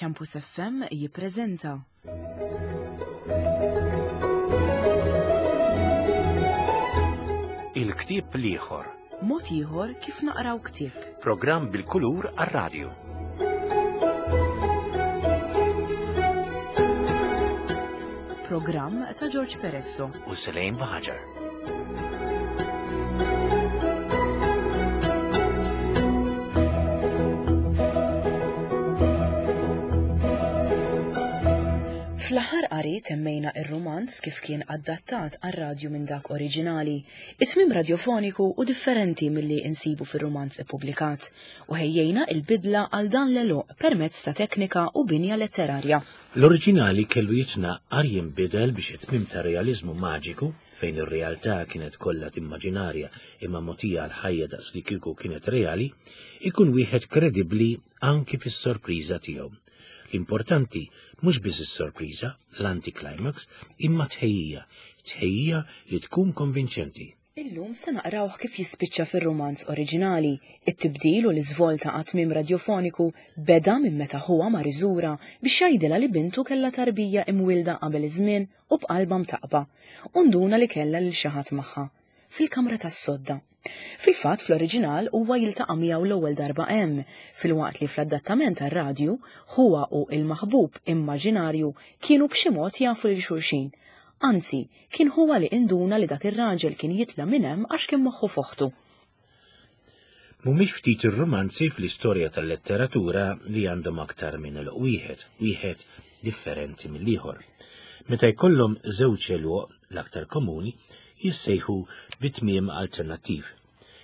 Campus FM jippreżenta. Il-ktieb l-ieħor. Mod ieħor kif naqraw ktieb. Programm bil-kulur għar-radju. Programm ta' George Peresso. U Selejn Baħaġar. Fl-aħħar qari temmejna ir-rumanz kif kien adattat għar-radju minn dak oriġinali, it-tmiem radjofoniku u differenti milli insibu fir-rumanz ippubblikat, u ħejjejna il-bidla għal dan l-għeluq permezz ta' teknika u binja letterarja. L-oriġinali kellu jitnaqqar jinbidel biex it-tmiem ta' realiżmu maġiku, fejn ir-realtà kienet kollha timmaġinarja imma mogħtija għall-ħajja daqs li kieku kienet reali, ikun wieħed kredibbli anki fis-sorpriża tiegħu. L-importanti mhux biss is-sorpriża, l-anticlimax, imma tħejjija, tħejjija li tkun konvinċenti. Illum se naqrawh kif jispiċċa fir-rumanz oriġinali. It-tibdil u l-iżvolta għat-tmiem radjofoniku beda minn meta ħuha mar iżurha biex jgħidilha li bintu kellha tarbija imwielda qabel iż-żmien u b'qalbha mtaqqba, u nduna li kellha lil xi ħadd magħha, fil-kamra tas-sodda. Fil-fatt fl-oriġinal huwa jiltaqa' miegħu l-ewwel darba hemm, filwaqt li fl-adattament għar-radju, ħuha u il-maħbub immaġinarju kienu b'xi mod jafu lil xulxin. Anzi, kien ħuha li induna li dak ir-raġel kien jitla' minn hemm għax kien moħħu f'oħtu. Mhumiex ftit ir-rumanzi fl-istorja tal-letteratura li għandhom aktar minn għeluq wieħed, wieħed differenti mill-ieħor. Meta jkollhom żewġ għeluq, l-aktar komuni, jissejħu bi tmiem alternattiv.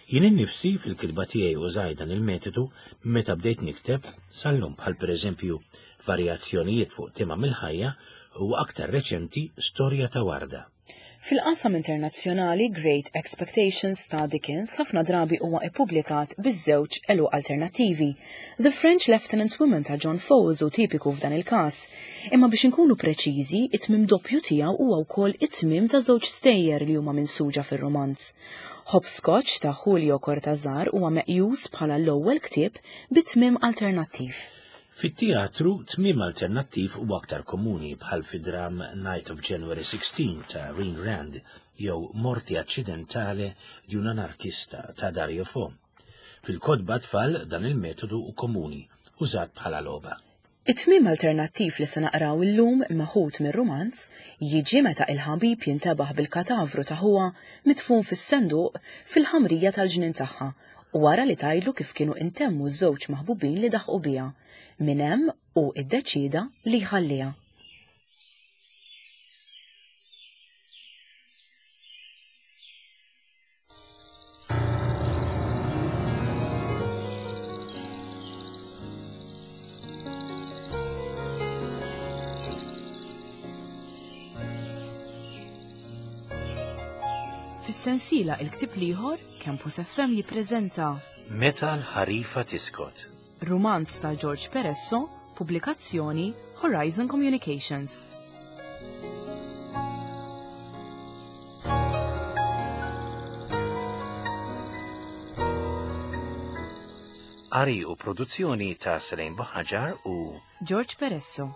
Jien innifsi fil-kitba tiegħi użajt dan il-metodu meta bdejt nikteb sal-lum bħal pereżempju varjazzjonijiet fuq tema mill-ħajja u aktar reċenti storja ta' warda. Fil-qasam internazzjonali Great Expectations ta' Dickens ħafna drabi huwa ippubblikat biż-żewġ għeluq alternattivi. The French Lieutenant's Woman ta' John Fowles hu tipiku f'dan il-każ. Imma biex inkunu preċiżi, it-tmiem doppju tiegħu huwa wkoll it-tmiem ta' żewġ stejjer li huma minsuġa fir-rumanz. Hopscotch ta' Julio Cortázar huwa meqjus bħala l-ewwel ktieb bi tmiem alternattiv. Fit-teatru, tmiem alternattiv huwa aktar komuni bħal fid-dramm Night of January 16 ta' Ayn Rand jew Morte accidentale di un anarchista ta' Dario Fo. Fil-kotba tfal dan il-metodu hu komuni, użat bħala logħba. It-tmiem alternattiv li se naqraw illum meħud mir-rumanz jiġi meta il-ħabib jintebaħ bil-katavru ta' ħuha midfun fis-senduq fil-ħamrija tal-ġnien tagħha u wara li tgħidlu kif kienu intemmu ż-żewġ maħbubin li daħqu biha. Minn hemm hu iddeċieda li jħalliha. Fis-sensiela Il-Ktieb l-Ieħor, Campus FM jippreżenta Meta l-ħarifa tiskot. Rumanz ta' George Peresso, pubblikazzjoni Horizon Communications. Qari u produzzjoni ta' Selene Buħaġar u George Peresso.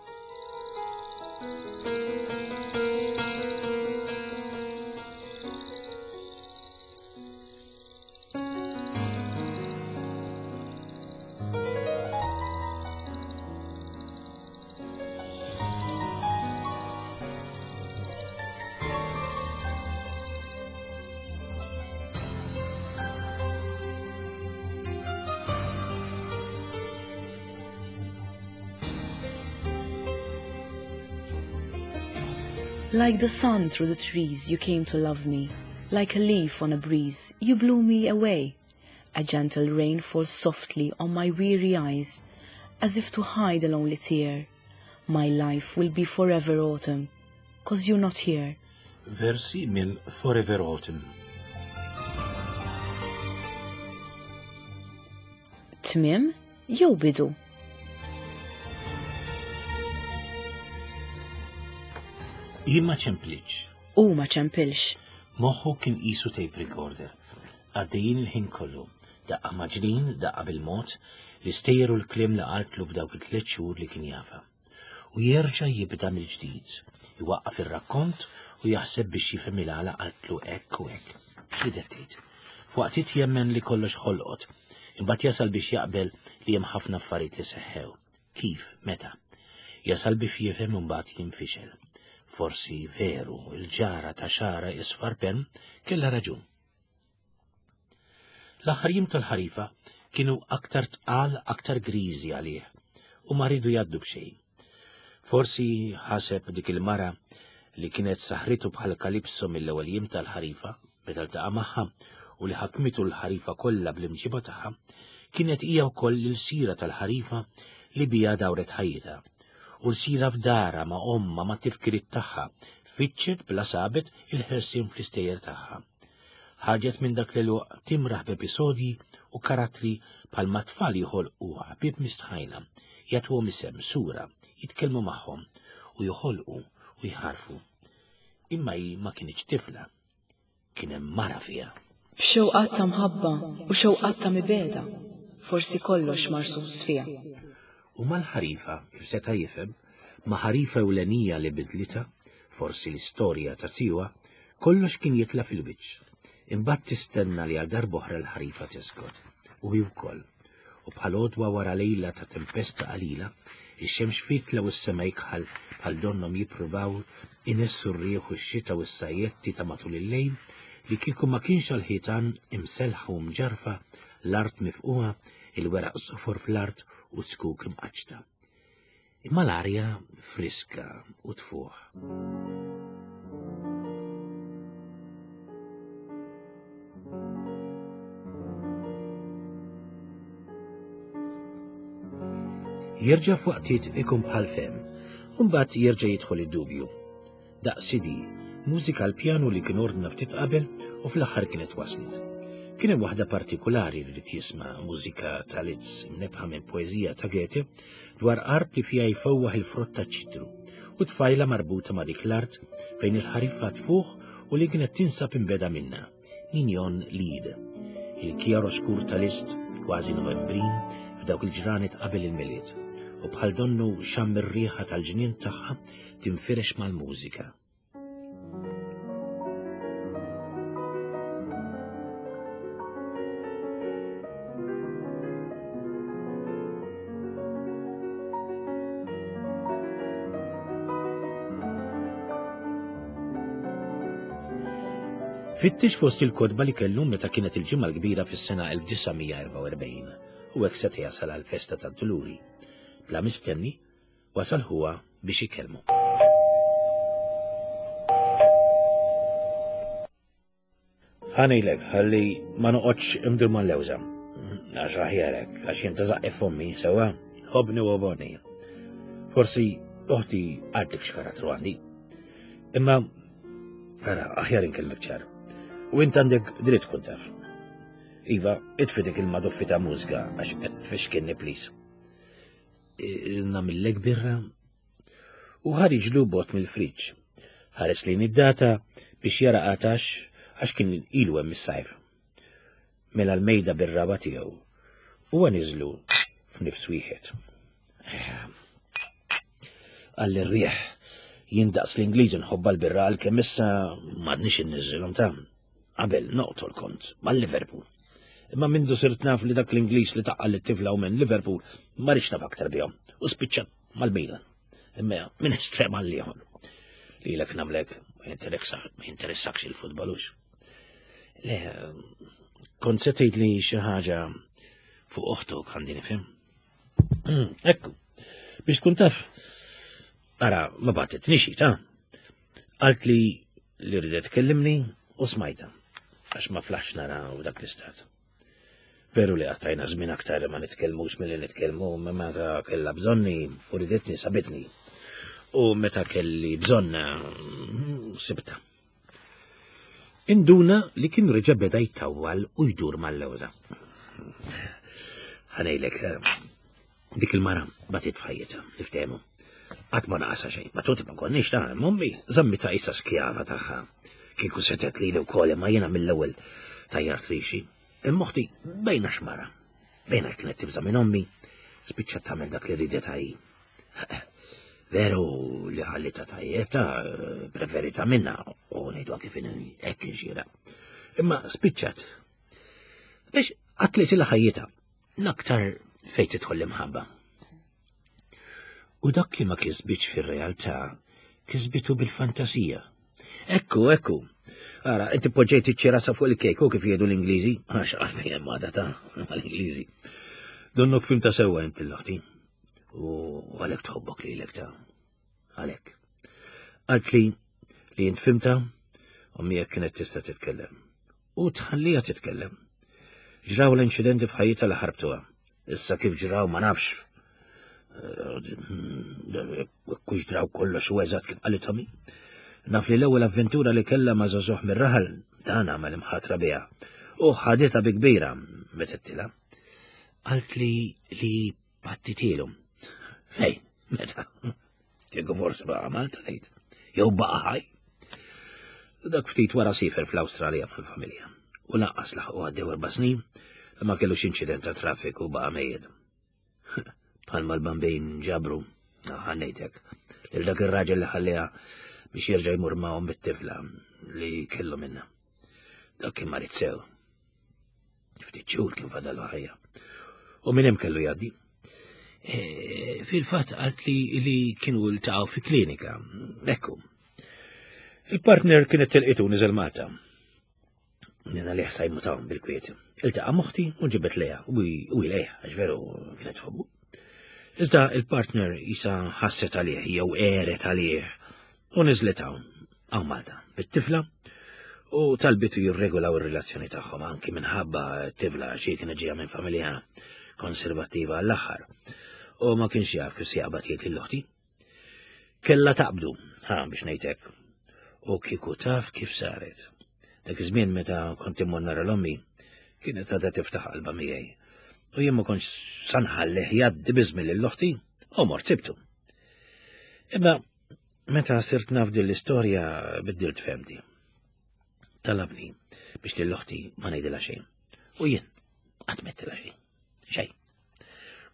Like the sun through the trees, you came to love me. Like a leaf on a breeze, you blew me away. A gentle rain falls softly on my weary eyes, as if to hide a lonely tear. My life will be forever autumn, cause you're not here. Versi minn Forever Autumn. Tmiem jew bidu? Jien ma ċemplitx. U ma ċempilx. Moħħu kien qisu tape recorder. Għaddejjin il-ħin kollu. Daqqa maġlin, daqqa bil-mod. L-istejjer u l-kliem li qaltlu f'dawk it-tliet xhur li kien jafha. U jerġa' jibda mill-ġdid, iwaqqaf ir-rakkont u jaħseb biex jifhem il-għala qaltlu hekk u hekk. X'ridet tgħid? F'waqtiet jemmen li kollox ħolqot, imbagħad jasal biex jaqbel li hemm ħafna affarijiet li seħħew. Kif? Meta? Jasal biex jifhem u mbagħad jinfixel. Forsi veru, il-ġara ta' xara isfar pen kellha raġun. L-aħħar jiem tal-ħarifa kienu aktar tqal, aktar griżi għalih u ma riedu jgħaddu b'xejn. Forsi ħaseb dik il-mara li kienet saħritu bħal Kalipso mill-ewwel jiem tal-ħarifa meta ltaqa' magħha u li ħakmitu l-ħarifa kollha bl-imġiba tagħha, kienet hija wkoll l-ilsira tal-ħarifa li biha dawret ħajjitha. U l-sira f'darha ma' ommha ma' tifkiriet tagħha, fittxet bla sabet il-ħelsien fl-istejjer tagħha. Ħarġet minn dak l-għeluq timraħ b'episodji u karattri bħalma t-tfal joħolqu ħbieb mistħajna, jagħtuhom isem, sura, jitkellmu magħhom u joħolqu u jħarrfu. Imma hi ma kinitx tifla. Kien hemm mara fiha. B'xewqat ta' mħabba u xewqat ta' mibegħda, forsi kollox marsus fiha. U mal-ħarifa, kif seta' jifhem, ma' ħarifa ewlenija li bidlitha, forsi l-istorja ta' zijuha, kollox kien jitla' fil-wiċċ. Imbagħad tistenna li għal darb'oħra l-ħarifa tiskot. U hi wkoll. U bħal għodwa wara lejla ta' tempesta qalila, ix-xemx fitla u s-sema jikħal bħal donnhom jippruvaw inessu r-riħ u x-xita u s-sajjetti ta' matul il-lejl li kieku ma kienx għall-ħitan imsellħa u mġarrfa, l-art mifqugħa, il-weraq sofor fl-art u zkuk imqaċċta. Imma l-arja friska u tfuħ. Jerġa' f'waqtiet ikun bħal fem, u mbagħad jerġa' jidħol id-dubju. Daqq CD, mużika għall-pjanu li kien ordna ftit qabel u fl-aħħar kienet waslet. Kien hemm waħda partikulari li ried jisma' mużika ta' Liszt imnebbħa minn poeżija ta' Goethe dwar art li fiha jfewwaħ il-frott taċ-ċitru u tfajla marbuta ma' dik l-art fejn il-ħarifa tfuħ u li kienet tinsab imbeda minnha. Mignon Lied. Il-chiaroscur ta' Liszt, kważi Novembrin, f'dawk il-ġranet qabel il-Milied, u bħal donnu xamm ir-riħa tal-ġnien tagħha tinfirex mal-mużika. Fittex fost il-kotba li kellu meta kienet il-Ġimgħa l-Kbira fis-sena 1944 u hekk seta' jasal għall-festa tad-Duluri. Bla mistenni, wasal ħuha biex ikellmu. Ħa ngħidlek ħalli ma noqgħodx imdur mal-lewża. Għax aħjarek, għax jien ta' zaqqi fommi, sewwa, ħobni u oboni. Forsi oħti għadlek x'karattru għandi. Imma, ara, aħjar inkellmek ċar. U int għandek dritt tkun taf. Iva, itfi dik il-maduffi ta' mużika għax qed tfixkinni please. Namillek birra u ħariġlu bot mill-friġġ. Ħares lejn id-data biex jara qatax għax kien ilu hemm is-sajf. Mela l-mejda bir-raba tiegħu. Huwa niżlu f'nifs wieħed. Għall ir-riħ jien daqs l-Ingliż nħobba l-birra għalkemm issa m'għadniex inniżżilhom ta' qabel noqtol kont mal-Liverpool. Imma mindu sirt naf li dak l-Ingliż li taqqal lit-tifla u minn Liverpool ma rridx naf aktar bihom u spiċċat mal-Milan. Imma minn estrem għal ieħor. Lilek namlek ma jinteressakx il-futbolux. Le, kont se tgħid li xi ħaġa fuq oħtok għandi nifhem. Hmm, ekku, biex tkun taf, ara, ma batet nixi, ta' Għalt li li rridet tkellimni u smajta, għax ma flax nara u dak l-istat. Veru li għattajna żmien aktar ma nitkellmux milli nitkellmu, ma meta kellha bżonni u riditni sabitni. U meta kelli bżonna mm, sibta. Induna li kien reġa' beda jtawwal u jdur mal-lewża. Ħanejlek, eh, dik il-mara batit f'ħajjitha, niftehmu. Qatt ma naqasha xejn, ma tuti ma konniex ta' mommi, żammita isa skjava tagħha. Kieku setet lili wkoll imma jiena mill-ewwel tajjart rixi. Imma oħti bejna xmara. Bejna kienet tibża' minn ommi, spiċċat tagħmel dak li ridet hi. Veru li ħallita tajjeb ta' preferita minna u ngħidu kif hekk inxira. Imma spiċċat. Biex qatlit il-ħajjita l-aktar fejn tidħol l-imħabba. U dak li ma kisbitx fir-realtà, kisbitu bil-fantasija. Ekku, ekku. Ara, inti poġġejt iċ-ċirasa fuq il-kejk u kif jgħidu l-Ingliżi, għax qalbi hemm għadha ta' mal-Ingliżi. Donnok fim ta' sewwa inti l-oħti. U għalhekk tħobbok lilek ta' għalhekk. Qalt li li int fimta u miegħek kienet tista' titkellem. U tħallija titkellem. Ġraw l-inċidenti f'ħajjitha li ħarbtuha. Issa kif ġraw ma nafx. Eh, kux ġraw kollox u eżatt kif qalithom. Naf li l-ewwel avventura li kellha ma' żagħżugħ mir-raħal dan għamel imħatra biha. U ħaditha bi kbira meta tila. Qalt li li pattitilu. Hej, meta? Kieku forsi baqa' Malta ngħid. Jew baqa' ħaj. Dak ftit wara sifer fl-Awstralja mal-familja. U lanqas laħqu għaddew erba' snin li ma kellux inċident ta' traffiku baqa' mejjed. Bħalma l-bambin ġabru, ħannejtek, lil dak ir-raġel li ħalliha biex jerġa' jmur ma' bit-tifla li kellu minna. Dak kien marid sew. Ftit xhur kien fadal ħajja. U minn hemm kellu jgħaddi. E, fil-fatt qalt li li kienu ltaqgħu fi klinika. Ekku. Il-partner kienet tilqitu niżel Malta. Nina li ħsajmu ta' bil-kwiet. Iltaqa' moħti u ġibet leja u ilejha għax veru kienet tħobbu. Iżda il-partner jisa ħasset għalih jew għeret għalih u niżlet hawn hawn Malta bit-tifla u talbitu jirregolaw ir-relazzjoni tagħhom anki minħabba t-tifla xi kienet ġejja minn familja konservattiva għall-aħħar u ma kienx jaf kif se jaqbad jgħid lil oħti. Kella taqbdu, ha biex ngħidlek. U kieku taf kif saret. Dak iż-żmien meta kont immur nara l-ommi, kienet għadha tiftaħ qalba miegħi. U jien ma kontx sanħallih jgħaddi biżmi lil oħti u mort sibtu. Imma Meta sirt naf din l-istorja biddilt femti. Talabni biex lil oħti ma ngħidilha xejn. U jien qatt mettilha xejn. Xejn.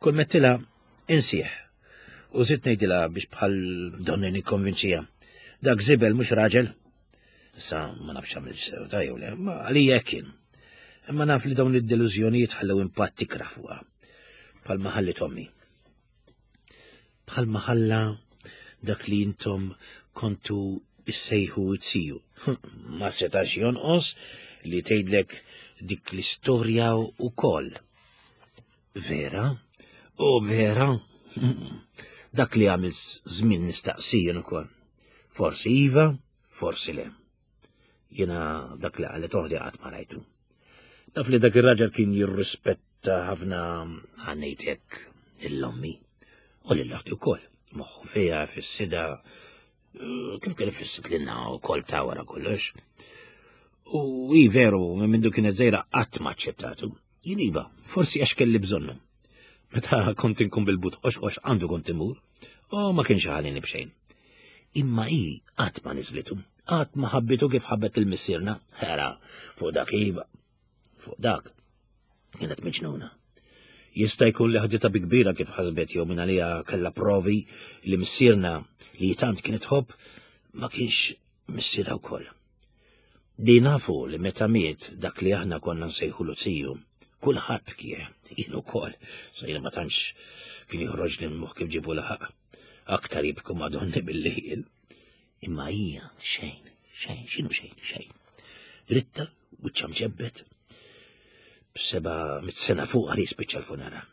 Kull mettilha insieħ. U żidt ngħidilha biex bħal donni nikkonvinċija. Dak żibel mhux raġel. Issa ma nafx għamil sew ta' jew le, ma għalija hekk kien. Imma naf li dawn id-delużjonijiet ħallew impatt ikrah fuqha. Bħalma ħallit ommi. Bħalma ħalla dak li intom kontu issejħu it-siju. Ma setax jonqos li tgħidlek dik l-istorja wkoll. Vera? O vera? Dak li għamil żmien nistaqsijin ukoll. Forsi iva, forsi le. Jiena dak li qalet oħdi qatt ma rajtu. Naf li dak ir-raġel kien jirrispetta ħafna ħanejtek l-ommi u lil oħti wkoll. Moħħu fiha fis-sida kif kien ifissit lilna wkoll ta' wara kollox. U i veru minn mindu kienet żejra qatt ma aċċettatu. Jien iva, forsi għax kelli bżonnu. Meta kont inkun bil-but qoxqox għandu kont imur, u ma kienx ħalini b'xejn. Imma hi qatt ma niżlitu, qatt ma ħabbitu kif ħabbet il-missierna, ħera, fuq dak iva, fuq dak. Kienet miġnuna. Jista' jkun li ħaditha bi kbira kif ħasbet jew minn għaliha kellha provi li missierna li tant kienet tħobb ma kienx missierha wkoll. Di nafu li meta miet dak li aħna konna nsejħulu ziju, kulħadd bkieh, jien ukoll, sa jiena ma tantx kien joħroġ li l-moħħ kif ġibu laħaq. Aktar jibku madonni billi jien. Imma hija xejn, xejn, x'inhu xejn, xejn. Dritta, wiċċha mġebbet, b'seba' mit sena fuq għal jispiċċa l-funeral.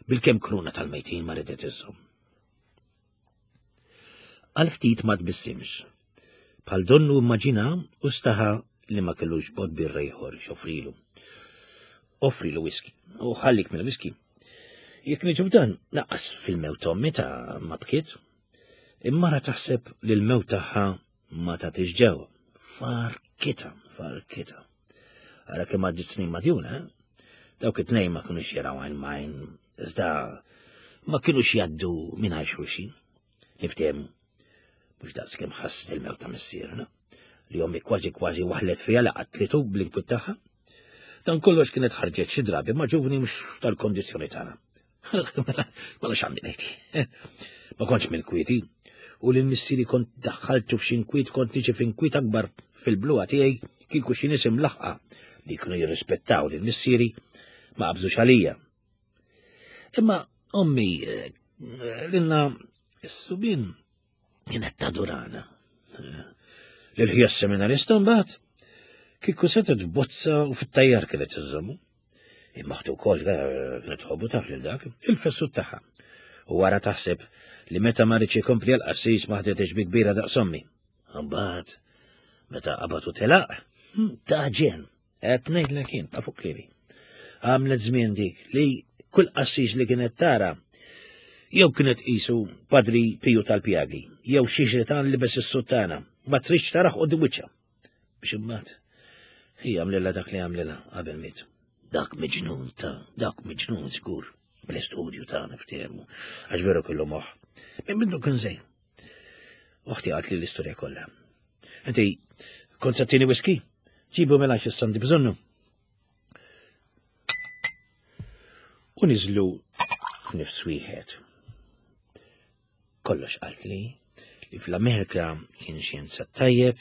Bilkemm kruna tal-mejtin ma ridet iżżomm. Għal ftit ma tbissimx. Bħal donnu immaġina u staħa li ma kellux bot birra ieħor x'offrilu. Offrilu whisky u ħallik mill-whisky. Jekk niġu f'dan, naqqas fil-mewt ommi ta' ma bkiet. Immara taħseb li l-mewt tagħha ma tagħtix ġew. Farkita, farkita. Ara kemm għaddit snin madjuna, eh? Dawk it-tnejn ma kinux jaraw għajn majn, iżda ma kinux jgħaddu mingħajr xulxin. Niftehmu, mhux daqs kemm ħasset il-mewt ta' missierna, li ommi kważi kważi waħlet fiha li qatlitu bl-inkwit tagħha. Dan kollox kienet ħarġet xi drabi ma' ġuvni mhux tal-kondizzjoni tagħna. Mela, mela x'għandi ngħid. Ma kontx mill-kwieti u lil missieri kont daħħaltu f'xi nkwiet kont niġi f'inkwiet akbar fil-bluha tiegħi kieku xi nies imlaħqa li kienu jirrispettaw lil missieri ma qabżux għalija. Imma ommi eh, lilna s-subin kienet tadurana. Lil-ħija seminarista mbagħad kieku setgħet f'bozza u fit-tajjar kienet iżommu. Imma ħtu wkoll eh, kienet tħobbu taf lil dak, il-fessut tagħha. U wara taħseb li meta ma rridx ikompli għal-qassis ma ħdetx bi kbira daqs ommi. Mbagħad meta qabad u telaq, hm, ta' ġen. Qed ngħidlek jien ta' fuq kliemi. Għamlet żmien dik li kull qassis li kienet tara jew kienet qisu Padri Piju tal-Pjagi, jew xi xitan libes is-suttana, ma tridx taraħ qudiem wiċċha. Biex imbagħad hi għamlilha dak li għamlilha qabel miet. Dak miġnun ta' dak miġnun żgur mill-istudju ta' niftehmu, għax veru kellu moħħ. Minn minnu kien żejn. Uħti għalt li l-istorja kollha. Inti, kont sattini whisky? Ġibu mela x'issandi bżonnu. U niżlu f'nifs wieħed. Kollox qalt li li fl-Amerika kien xjenza tajjeb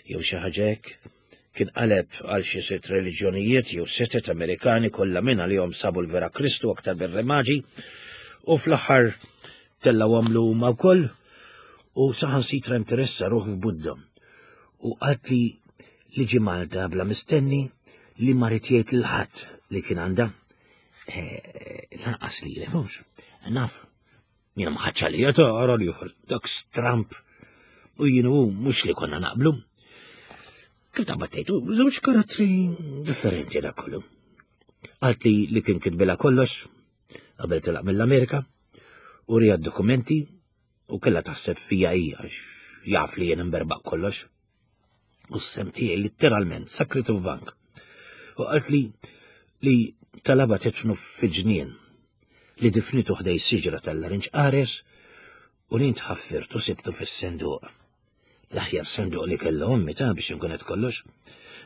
jew xi ħaġa hekk kien qaleb għal xi sitt reliġjonijiet jew setet Amerikani kollha minn għalihom sabu l-vera Kristu aktar bir-remaġi u fl-aħħar tellgħu għamlu huma wkoll u saħansitra interessa ruħu f'Budda u qalt li li ġie Malta bla mistenni li ma rid jgħid lil ħadd li kien għandha. Eh, lanqas li mhux. Naf, jiena ma ħadx għalija ta' ara li ieħor, dak stramp. U jien u mhux li konna naqblu. Kif ta' battejtu, żewġ karattri differenti dak kollu. Qalt li li kien kitbilha kollox qabel telaq mill-Amerika u rija dokumenti u kellha taħseb fija hija għax jaf li jien imberbaq kollox. U s-sem tiegħi litteralment sakritu f'bank. U qalt li li talaba titfnu fil-ġnien li difnitu ħdej siġra tal-larinġ qares u li ntħaffirtu sibtu fis-senduq. L-aħjar senduq li kellu ommi ta' biex nkun qed kollox,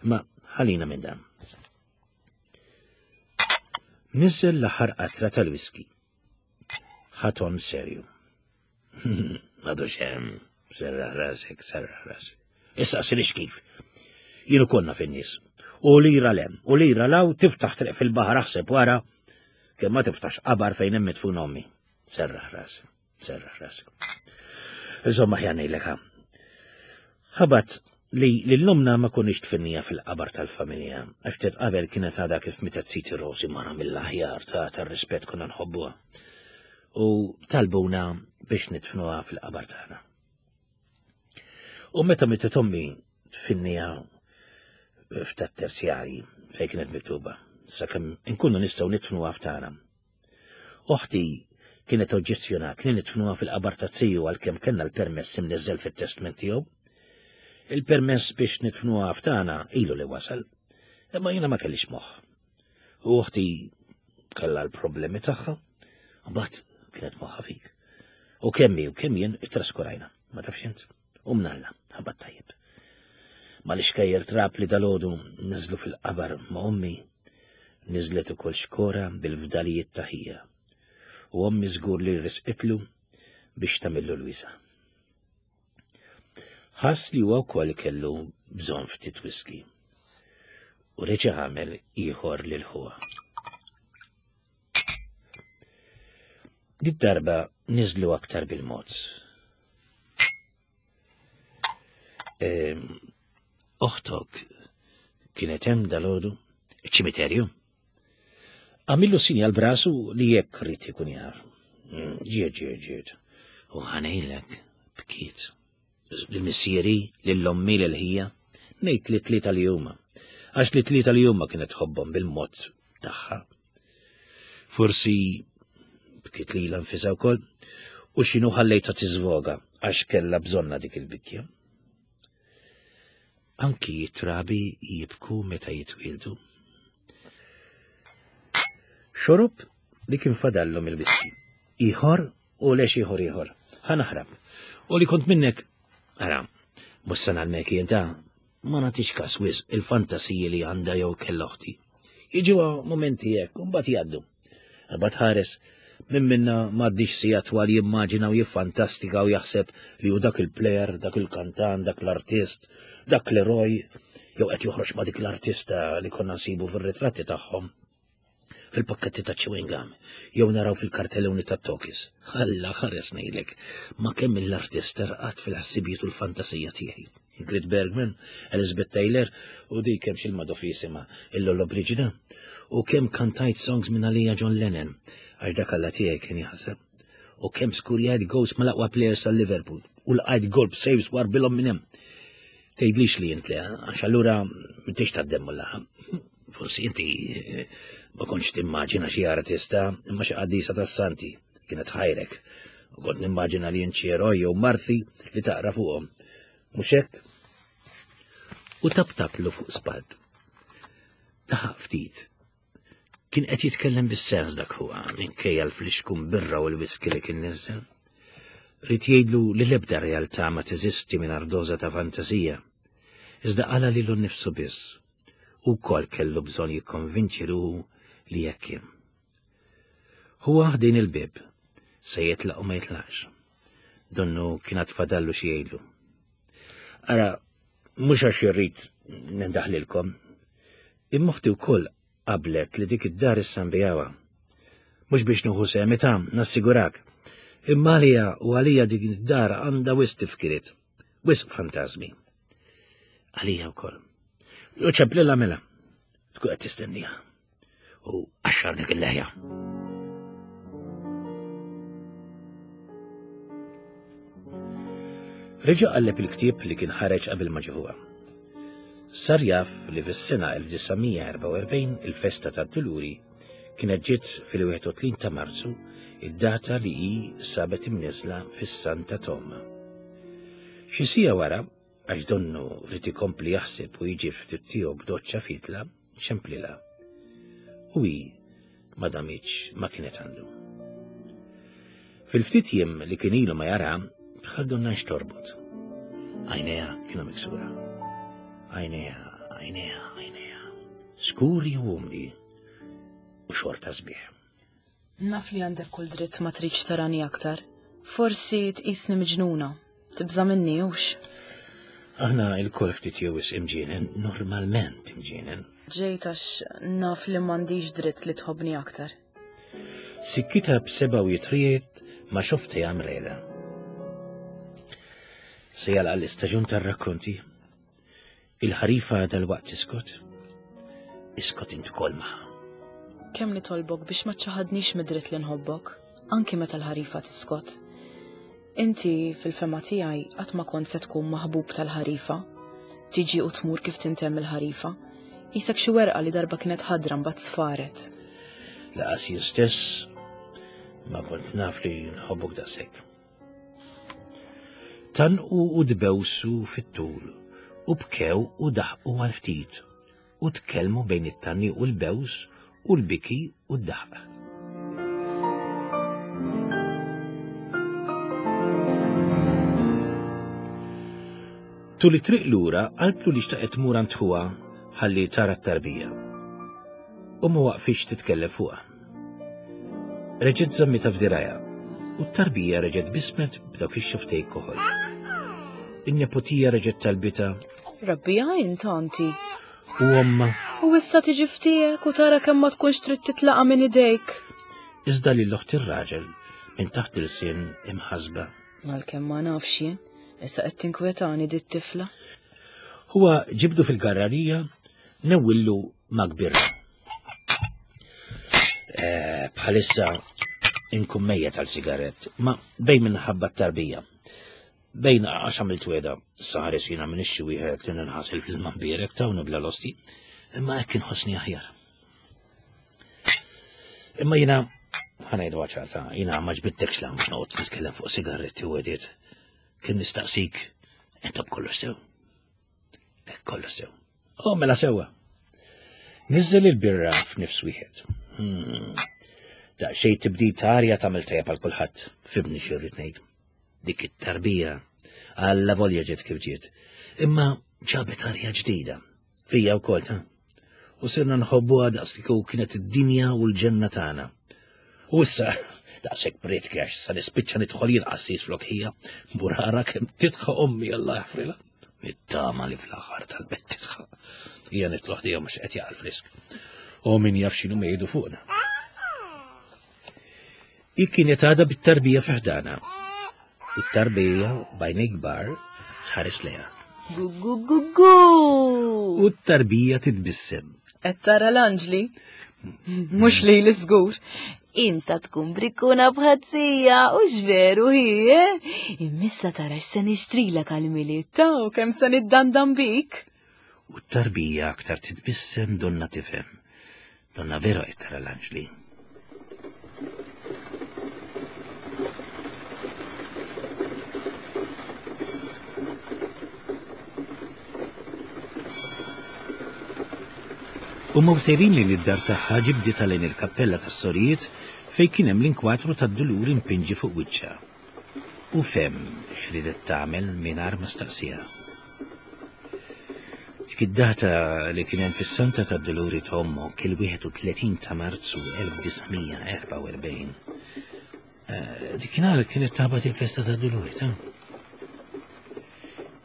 ma ħalina minn dan. Niżel l-aħħar qatra tal-whisky. Ħaton serju. Għadu xem, serraħ rasek, serraħ rasek. Issa sirix kif. Jienu konna fin-nies. U lira lem, u lira law tiftaħ triq fil-baħar aħseb wara, kemm ma tiftax qabar fejn hemm mitfun ommi. Serraħ rasek, serraħ rasek. Insomma ħja ngħidlek ha. Ħabat li l-lumna ma konniex tfinnija fil-qabar tal-familja, għax ftit qabel kienet għadha kif mietet siti Rosi mara mill-aħjar ta' tar-rispett konna nħobbuha. U talbuna biex nitfnuha fil-qabar tagħna. U meta mietet ommi tfinnija f'tat terzjarji fejn kienet miktuba, sakemm inkunu nistgħu nitfnuha f'tagħna. Oħti kienet oġġezzjonat li nidfnuha fil-qabar ta' ziju għalkemm kellna l-permess imniżżel fit-testment tiegħu. Il-permess biex nidfnuha f'tagħna ilu li wasal, imma jiena ma kellix moħħ. U oħti kellha l-problemi tagħha, mbagħad kienet moħħa fik. U kemm hi u kemm jien ittraskurajna, ma tafx int. U mnalla, ħabat tajjeb. Ma li xkejjer trab li dalodu niżlu fil-qabar ma' ommi, niżlet ukoll xkora bil-fdalijiet ta' ħija. U ommi żgur li risqitlu biex tagħmillu l-wisa. Ħass li huwa wkoll kellu bżonn ftit whisky. U reġa' għamel ieħor lil ħuha. Did-darba niżlu aktar bil-mod. Ehm, oħtok kienet hemm dalodu ċimiterju. Għamillu sinjal brasu li jekk rrid ikun jaf. Mm, ġiet, ġiet, ġiet. U ħanejlek bkiet. Lil-missieri, lill-ommi, lil-ħija, ngħid li tlieta li huma. Għax li tlieta li huma kienet tħobbhom bil-mod tagħha. Forsi bkiet lilha nfisha wkoll u x'inhu ħallejtha tiżvoga għax kellha bżonna dik il-bikja. Anki trabi jibku meta jitwildu. Xorob li kien fadallu mill-whisky. Ieħor u lex ieħor ieħor. Ħa naħrab. U li kont minnek, ara, mhux se nagħlmek jien ta' ma nagħtix każ wisq il-fantasiji li għandha jew kellha oħti. Jiġu momenti hekk, u mbagħad jgħaddu. Imbagħad ħares minn minna m'għaddix sija twal jimmaġina u jiffantastika u jaħseb li hu dak il-plejer, dak il-kantan, dak l-artist, dak l-eroj, jew qed joħroġ ma' dik l-artista li konna nsibu fir-ritratti tagħhom fil-pakketti ta' chewing gum, jew naraw fil-kartelluni ta' tokis. Alla ħares ngħidlek, ma kemm l-artist rqat fil-ħsibijiet u l-fantasija tiegħi. Ingrid Bergman, Elizabeth Taylor u dik kemm xil-madofisima il-Lollobrigida u kemm kantajt songs minn għalija John Lennon għax dak alla tiegħi kien jaħseb u kemm skurjajt goals mal-aqwa players tal-Liverpool u lqajt golf saves warbilhom minn hemm. Tgħidlix li int le, għax allura m'intix tad-demm u laħam. Forsi inti eh, ma kontx timmaġina xi artista imma xi qaddisa tas-santi kienet ħajrek. U kont nimmaġina li int xi eroj jew marthi li taqra fuqhom. Mhux hekk? U taptaplu fuq spaltu. Daħaq ftit. Kien qed jitkellem bis-sens dak huwa minkejja l-flixkun birra u l-whisky li kien niżel. Rid jgħidlu li l-ebda realtà ma teżisti mingħajr doża ta' fantasija. Iżda qala lilu nnifsu biss. U wkoll kellu bżonn jikkonvinċi ruħu li hekk kien. Huwa ħdejn il-bieb, se jitlaq u ma jitlaqx. Donnu kien għad fadallu xi jgħidlu. Ara, mhux għax irrid nindaħlilkom, imma oħti wkoll qablet li dik id-dar issa nbijawha. Mhux biex nieħu sehmi ta' nassigurak. Imma għalija u għalija dik id-dar għandha wisq tifkiriet, wisq fantażmi. Għalija wkoll. U ċemplilha mela, tkun qed tistenniha. U qaxxar dik il-leħja. Reġa' qalleb il-ktieb li kien ħareġ qabel ma ġie Sar jaf li fis-sena 1944 il-festa tad-Duluri kienet ġiet fil-31 ta' Marzu, id-data li hi sabet imniżla fis-Santa Toma. Xi siegħa wara, għax donnu ried ikompli jaħseb u jiġi ftit tiegħu b'doċċa fitla, ċemplilha. U hi ma damitx ma kienet għandu. Fil-ftit jiem li kien ilu ma jara, bħal donna xtorbot. Għajnejha kienu miksura. Għajnejha, għajnejha, għajnejha. Skuri u umli u xorta sbieħ. Naf li għandek kull dritt ma tridx tarani aktar. Forsi tqisni miġnuna. Tibża' minni hux? Aħna il-kol ftit jew wisq imġienen, normalment imġienen. Ġejt għax naf li m'għandix dritt li tħobbni aktar. Sikkita b'seba' u jitrijiet ma xofti għamrela. Se jalqa l-istaġun tar-rakkonti. Il-ħarifa dalwaqt tiskot. Iskot int ukoll magħha. Kemm nitolbok biex ma ċċaħadnix mid-dritt li nħobbok, anki meta l-ħarifa tiskot. Inti, fil-fehma tiegħi, qatt ma kont se tkun maħbub tal-ħarifa. Tiġi u tmur kif tintemm il-ħarifa. Qisek xi werqa li darba kienet ħadra mbagħad sfaret. Laqas jien stess ma kont naf li nħobbok daqshekk. Tannqu u tbewsu fit-tul, u bkew u daħqu għal ftit, u tkellmu bejn it-tgħanniq u l-bews u l-biki u d-daħq. Tul it-triq lura qaltlu li xtaqet tmur għand ħuha ħalli tara t-tarbija. U ma waqfitx titkellem fuqha. Reġgħet żammitha f'dirajha u t-tarbija reġgħet bismet b'dawk ix-xaftej koħol. In-neputija reġgħet talbitha. Rabbija int anti. U omma. U issa tiġi ftiegħek u tara kemm ma tkunx trid titlaqa' minn idejk. Iżda lil oħt ir-raġel minn taħt il-sin imħasba. Għalkemm ma nafx jien, issa qed tinkwetani dit tifla. Huwa ġibdu fil-garrarija newwillu ma' kbirra. Eh, bħalissa inkun mejja tal-sigarett, ma bejn minħabba t-tarbija. Bejn għax għamilt weda, saħares jiena minn xi wieħed li ninħasil fil-mambierek ta' nibla l-osti, imma hekk inħossni aħjar. Imma jiena ħanajdu ċarta, jiena ma ġbittekx la mhux noqgħod nitkellem fuq sigaretti u għediet. Kien nistaqsik, intom kollu sew. Kollu sew. Oh, mela sewwa. Niżżel il-birra f'nifs wieħed. Hmm. Daqsxejn tibdil ta' arja tagħmel tajjeb għal kulħadd, fibni xi rrid ngħid. Dik it-tarbija alla volja ġiet kif ġiet. Imma ġabet arja ġdida. Fija wkoll ta'. U sirna nħobbuha daqs li kieku kienet id-dinja u l-ġenna tagħna. U issa, daqshekk prietki għax sa nispiċċa nidħol jien qassis flok ħija, burara kemm titħa ommi Alla jaħfrilha. Nittama li fl-aħħar tal-bett titħa. Hija nitloħ dejjem mhux qed jaqal frisk. U min jaf x'inhu jgħidu fuqna. Hi kienet għadha bit-tarbija fi ħdana. U t-tarbija b'għajnejn kbar tħares lejha. Gu gu gu gu! U t-tarbija titbissem. Qed tara l-anġli? Mhux li l-iżgur. Inta tkun brikkuna bħazzija u x'veru hi, eh? Immissa tara x'se nixtrilek għal-miliet ta' u kemm se niddandan bik. U t-tarbija aktar titbissem donna tifhem. Donna vera qed tara l-anġli. U ma sejrin li d-dar tagħha ġibditha lejn il-kappella tas-sorijiet fejn kien hemm l-inkwatru tad-duluri mpinġi fuq wiċċha. U fehem x'riedet tagħmel mingħajr ma staqsiha. Dik id-data li kien hemm fis-Santa tad-Duluri ta' ommok il-31 ta' Marzu 1944. Eh, Dikinhar kienet tabat il-festa tad-Duluri ta'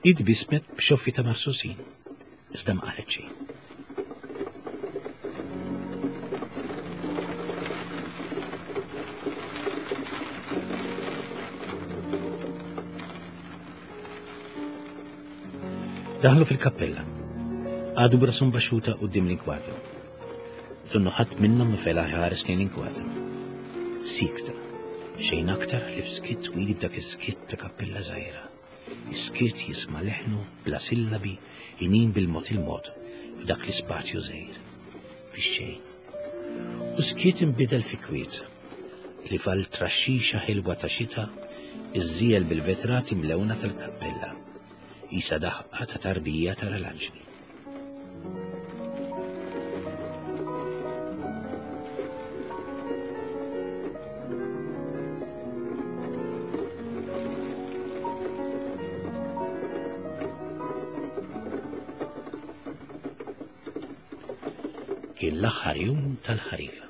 Id bismet b'xoffi ta' marsusin, iżda ma qalet xejn. Daħlu fil-kappella. Għadu brasum baxxuta quddiem l-inkwadru. Donnu ħadd minnhom ma fela ħares lejn l-inkwadru. Sikta, xejn aktar li f'skiet twil f'dak is-skiet ta' kappella żgħira. Is-skiet jisma' leħnu bla sillabi inin bil-mod il-mod f'dak l-ispazju żgħir. Fix-xejn. U skiet inbidel fi kwiet li fal traxxixa ħilwa ta' xita iżżiel bil-vetrati mlewna tal-kappella. Isa daħqa ta' tarbija tara l-anġli. Kien l-aħħar jum tal-ħarifa.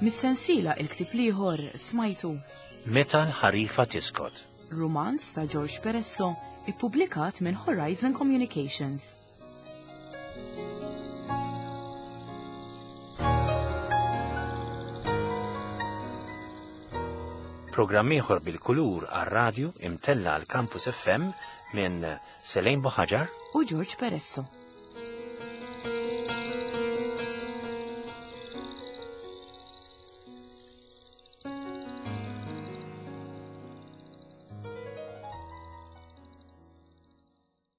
Mis-sensiela il-ktieb l-ieħor smajtu Meta l-ħarifa tiskot. Rumanz ta' George Peresso ippubblikat minn Horizon Communications. Programm ieħor bil-kulur għar-radju imtella għal Campus FM minn Selejn Boħaġar u George Peresso.